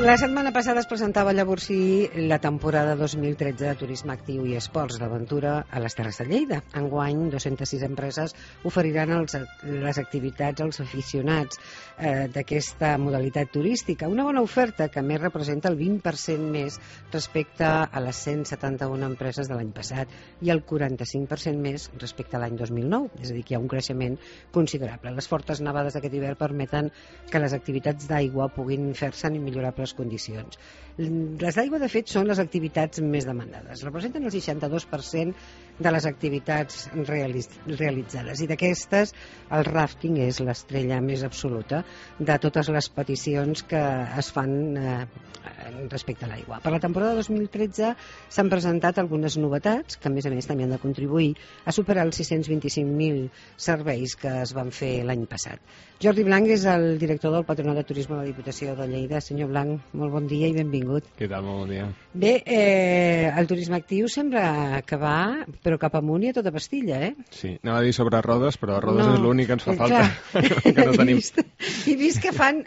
La setmana passada es presentava a Llavorsí la temporada 2013 de Turisme Actiu i Esports d'Aventura a les Terres de Lleida. Enguany, 206 empreses oferiran les activitats als aficionats d'aquesta modalitat turística. Una bona oferta que més representa el 20% més respecte a les 171 empreses de l'any passat i el 45% més respecte a l'any 2009. És a dir, que hi ha un creixement considerable. Les fortes nevades d'aquest hivern permeten que les activitats d'aigua puguin fer-se en millorables condicions. Les d'aigua, de fet, són les activitats més demandades. Representen el 62% de les activitats realitzades i d'aquestes el ràfting és l'estrella més absoluta de totes les peticions que es fan respecte a l'aigua. Per la temporada 2013 s'han presentat algunes novetats que a més també han de contribuir a superar els 625.000 serveis que es van fer l'any passat. Jordi Blanc és el director del Patronat de Turisme de la Diputació de Lleida. Senyor Blanc, molt bon dia i benvingut. Què tal? Molt bon dia. Bé, el turisme actiu sembla que va, però cap amunt i a tota pastilla, eh? Sí, anava a dir sobre rodes, però rodes és l'únic que ens fa falta, que no tenim. He vist que fan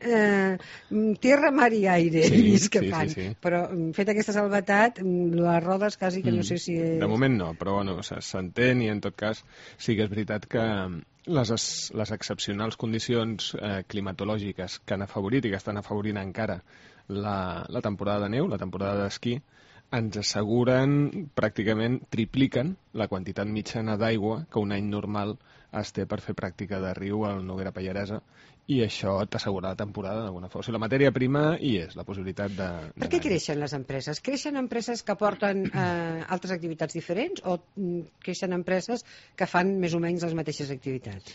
tierra, mar i aire, sí. Però fet aquesta salvetat, les rodes quasi que no sé si és... De moment no, però bueno, s'entén i en tot cas sí que és veritat que les excepcionals condicions climatològiques que han afavorit i que estan afavorint encara la temporada de neu, la temporada d'esquí, ens asseguren, pràcticament tripliquen la quantitat mitjana d'aigua que un any normal es té per fer pràctica de riu al Noguera Pallaresa, i això t'assegura la temporada d'alguna forma. O sigui, la matèria prima hi és, la possibilitat de... Per què creixen les empreses? Creixen empreses que porten altres activitats diferents o creixen empreses que fan més o menys les mateixes activitats?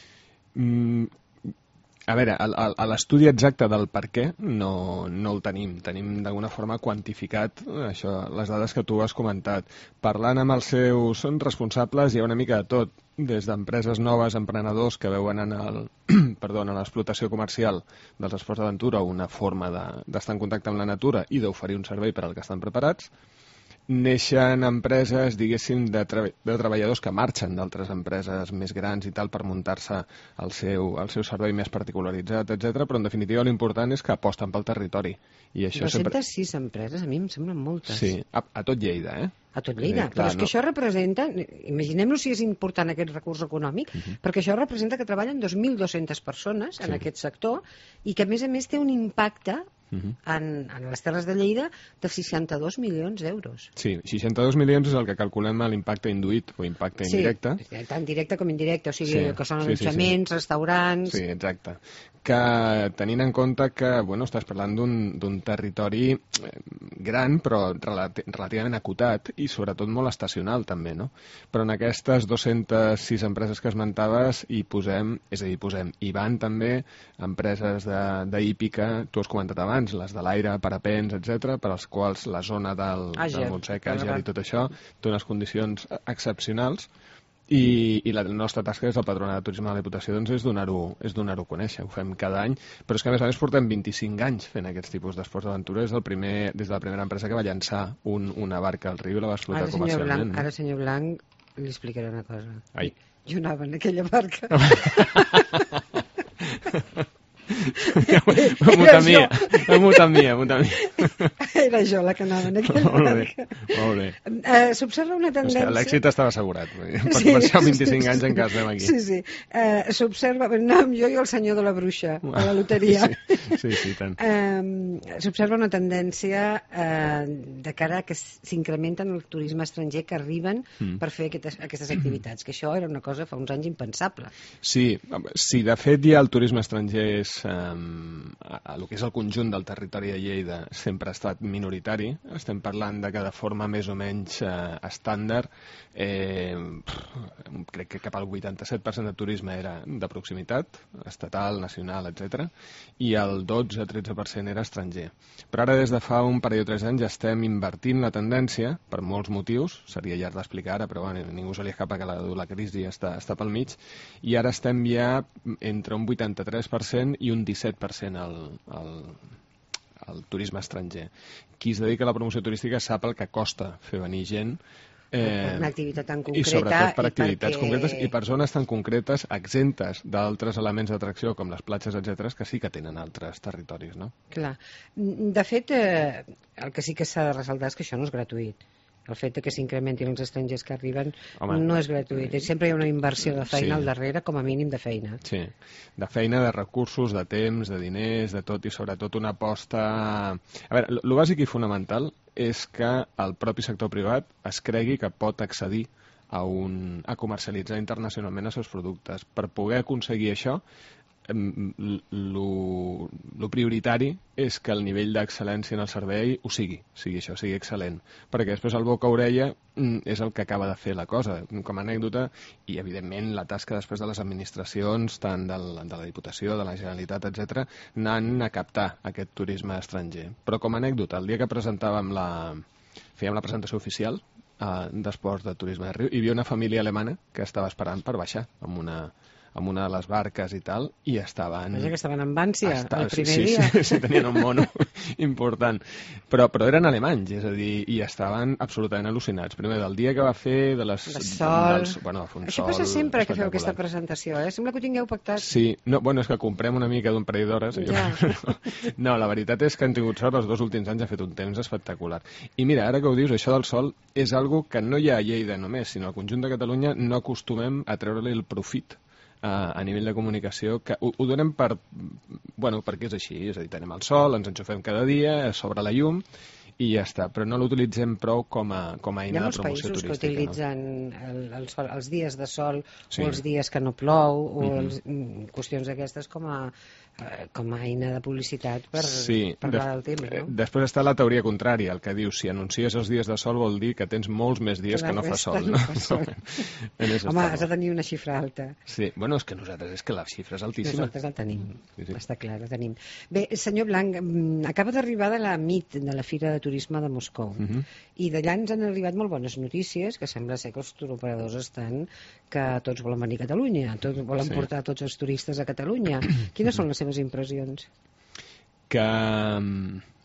A veure, l'estudi exacte del per què no el tenim. Tenim d'alguna forma quantificat això, les dades que tu has comentat. Parlant amb els seus responsables hi ha una mica de tot, des d'empreses noves, emprenedors que veuen en l'explotació comercial dels esports d'aventura una forma d'estar en contacte amb la natura i d'oferir un servei per al que estan preparats. Neixen empreses, diguéssim, de treballadors que marxen d'altres empreses més grans i tal per muntar-se el seu servei més particularitzat, etc. Però en definitiva l'important és que aposten pel territori. I això 206 empreses, a mi em semblen moltes. Sí, a tot Lleida, eh? A tot Lleida, però és que això representa, imaginem-nos si és important aquest recurs econòmic, perquè això representa que treballen 2.200 persones en aquest sector i que a més té un impacte en les Terres de Lleida de 62 milions d'euros. Sí, 62 milions és el que calculem a l'impacte induït o impacte indirecte. Sí, tant directe com indirecte, o sigui, que són allotjaments, restaurants... Sí, exacte. Que tenint en compte que, bueno, estàs parlant d'un territori gran, però relativament acotat i sobretot molt estacional també, no? Però en aquestes 206 empreses que esmentaves hi van també empreses d'hípica, tu has comentat abans, les de l'aire, parapents, etc., per als quals la zona del Montsec, Àger i tot això té unes condicions excepcionals i la nostra tasca des del Patronat de Turisme de la Diputació doncs, és donar-ho a conèixer. Ho fem cada any, però és que a més portem 25 anys fent aquests tipus d'esports d'aventura des de la primera empresa que va llançar una barca al riu i la va explotar comercialment. Ara, senyor Blanc, li explicaré una cosa. Ai. Jo anava en aquella barca. Muta mia. Era jo la que anava en aquella barca. Molt bé. S'observa una tendència... L'èxit estava assegurat. Per això 25 anys encara estem aquí. Sí. S'observa... Anàvem jo i el senyor de la bruixa a la loteria. Sí, tant. S'observa una tendència de cara que s'incrementen el turisme estranger que arriben per fer aquestes activitats, que això era una cosa fa uns anys impensable. Sí, de fet ja el turisme estranger és el que és el conjunt del territori de Lleida sempre ha estat minoritari. Estem parlant de que de forma més o menys estàndard crec que cap al 87% de turisme era de proximitat, estatal, nacional, etc. I el 12-13% era estranger. Però ara des de fa un parell o 3 anys estem invertint la tendència per molts motius, seria llarg d'explicar ara, però ningú se li escapa que la crisi està pel mig, i ara estem ja entre un 83% i un 17% al turisme estranger. Qui es dedica a la promoció turística sap el que costa fer venir gent Una activitat tan concreta. I sobretot per activitats concretes i per zones tan concretes, exemptes d'altres elements d'atracció, com les platges, etc., que sí que tenen altres territoris, no? Clar. De fet, el que sí que s'ha de ressaltar és que això no és gratuït. El fet que s'incrementin els estrangers que arriben no és gratuït. Sempre hi ha una inversió de feina al darrere, com a mínim de feina. Sí, de feina, de recursos, de temps, de diners, de tot, i sobretot una aposta... A veure, el bàsic i fonamental és que el propi sector privat es cregui que pot accedir a comercialitzar internacionalment els seus productes. Per poder aconseguir això, lo prioritari és que el nivell d'excel·lència en el servei ho sigui això, sigui excel·lent, perquè després el boca-orella és el que acaba de fer la cosa. Com a anècdota, i evidentment la tasca després de les administracions, tant de la Diputació, de la Generalitat, etc., anant a captar aquest turisme estranger. Però com a anècdota, el dia que fèiem la presentació oficial d'esports de turisme de riu, hi havia una família alemana que estava esperant per baixar amb una de les barques i tal, i estaven... Vaja, que estaven amb ànsia el primer dia. Sí, tenien un mono important. Però eren alemanys, és a dir, i estaven absolutament al·lucinats. Primer, del dia que va fer, de les... De sol... Això passa sempre que feu aquesta presentació, Sembla que ho tingueu pactat. Sí, és que comprem una mica d'un parell d'hores. Ja. No, la veritat és que hem tingut sort, els 2 últims anys ha fet un temps espectacular. I mira, ara que ho dius, això del sol és algo que no hi ha a Lleida només, sinó al conjunt de Catalunya no acostumem a treure-li el profit a nivell de comunicació, que ho donem perquè és així, és a dir, tenem el sol, ens enxufem cada dia, sobre la llum, i ja està, però no l'utilitzem prou com a eina de promoció turística. Hi ha molts països que utilitzen els dies de sol o els dies que no plou o qüestions d'aquestes com a eina de publicitat per parlar del tema, no? Després està la teoria contrària, el que diu si anuncies els dies de sol vol dir que tens molts més dies que no fa sol, no? Home, has de tenir una xifra alta. Sí, és que nosaltres, és que la xifra és altíssima. Nosaltres la tenim, està clar, la tenim. Bé, senyor Blanc, acaba d'arribar de la MIT, de la Fira de Turisme de Moscou, i d'allà ens han arribat molt bones notícies, que sembla ser que els turoperadors estan que tots volen venir a Catalunya, tots volen portar tots els turistes a Catalunya. Quines són les seves impressions?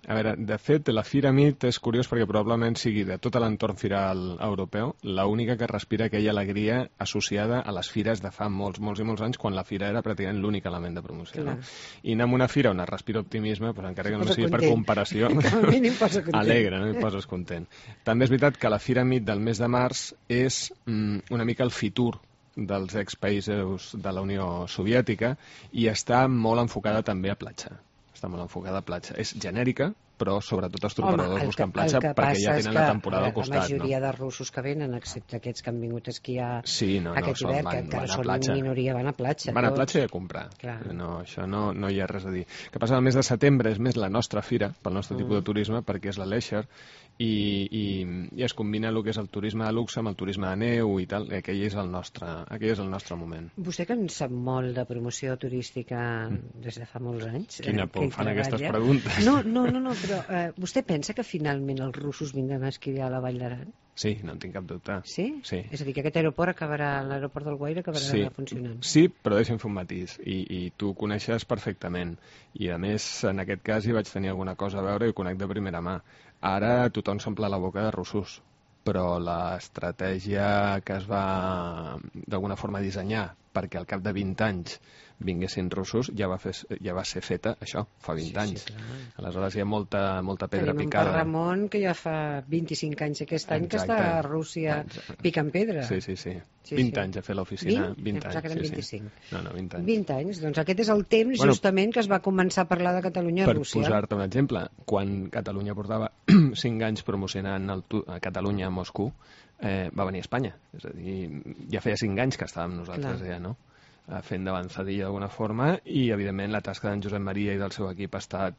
A veure, de fet, la Fira MIT és curiós perquè probablement sigui de tot l'entorn firal europeu l'única que respira aquella alegria associada a les fires de fa molts i molts anys, quan la fira era pràcticament l'únic element de promoció. No? I anar a una fira on es respira optimisme, encara que no sigui per comparació, alegre, no? I poses content. També és veritat que la Fira MIT del mes de març és una mica el Fitur dels expaïsos de la Unió Soviètica i està molt enfocada també a platja. És genèrica, però sobretot els turoperadors busquen platja perquè ja tenen la temporada al costat. La majoria de russos que venen, excepte aquests que han vingut a esquiar aquest hivern, que encara són minoria, van a platja. Van a platja i a comprar. Això no hi ha res a dir. El que passa el mes de setembre és més la nostra fira, pel nostre tipus de turisme, perquè és la leisure, i es combina el que és el turisme de luxe amb el turisme de neu i tal, aquell és el nostre moment. Vostè que en sap molt de promoció turística des de fa molts anys. Quina por fan aquestes preguntes. No, però vostè pensa que finalment els russos vindran a esquiar a la Vall d'Aran? Sí, no en tinc cap dubte. Sí? És a dir, que aquest aeroport l'aeroport del Guaire acabarà funcionant. Sí, però deixa'm fer un matís, i tu ho coneixes perfectament, i a més, en aquest cas hi vaig tenir alguna cosa a veure i ho conec de primera mà. Ara tothom s'omple la boca de russos, però l'estratègia que es va d'alguna forma dissenyar perquè al cap de 20 anys vinguessin russos ja va ser feta, això, fa 20 anys. Aleshores hi ha molta pedra picada. Tenim un Ramon que ja fa 25 anys aquest any que està a Rússia picant pedra. Sí. 20 anys a fer l'oficina. 20 anys, que eren 25. No, 20 anys. 20 anys, doncs aquest és el temps justament que es va començar a parlar de Catalunya a Rússia. Per posar-te un exemple, quan Catalunya portava 5 anys promocionant a Catalunya a Moscou, va venir a Espanya. És a dir, ja feia 5 anys que estàvem nosaltres allà, no? Fent d'avançadilla d'alguna forma, i evidentment la tasca d'en Josep Maria i del seu equip ha estat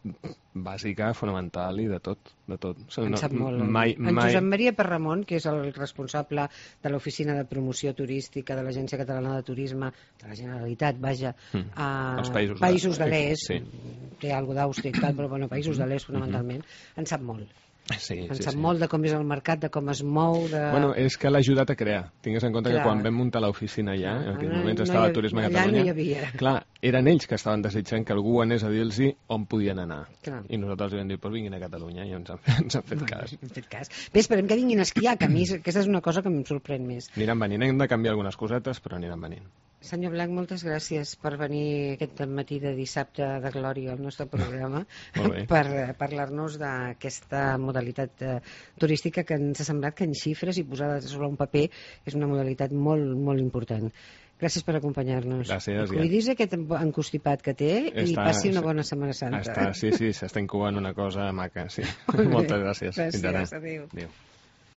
bàsica, fonamental i de tot. En sap molt. En Josep Maria Perramon, que és el responsable de l'Oficina de Promoció Turística de l'Agència Catalana de Turisme, de la Generalitat, vaja, als països de l'est, té alguna d'Àustria i tal, però Països de l'est fonamentalment, en sap molt. Sí, En sí, sap sí. molt de com és el mercat, de com es mou, de... Bueno, és que l'ha ajudat a crear. Tingues en compte Clar. que quan vam muntar l'oficina allà, en aquells moments no estava hi ha- Turisme allà Catalunya, no hi havia. clar, eren ells que estaven desitjant que algú anés a dir-los on podien anar. Clar. I nosaltres li vam dir, pues vinguin a Catalunya, i ens han fet cas. Hem fet cas. Bé, esperem que vinguin a esquiar, que a mi aquesta és una cosa que em sorprèn més. Aniran venint, hem de canviar algunes cosetes, però aniran venint. Senyor Blanc, moltes gràcies per venir aquest matí de dissabte de Glòria al nostre programa Molt bé. per parlar-nos d'aquesta modalitat turística que ens ha semblat que en xifres i posada sobre un paper és una modalitat molt, molt important. Gràcies per acompanyar-nos. Gràcies. Cuidis aquest encostipat que té i passi una bona Setmana Santa. Sí, s'està incubant una cosa maca, sí. Moltes gràcies. Gràcies, Fins ara. adéu. Adéu.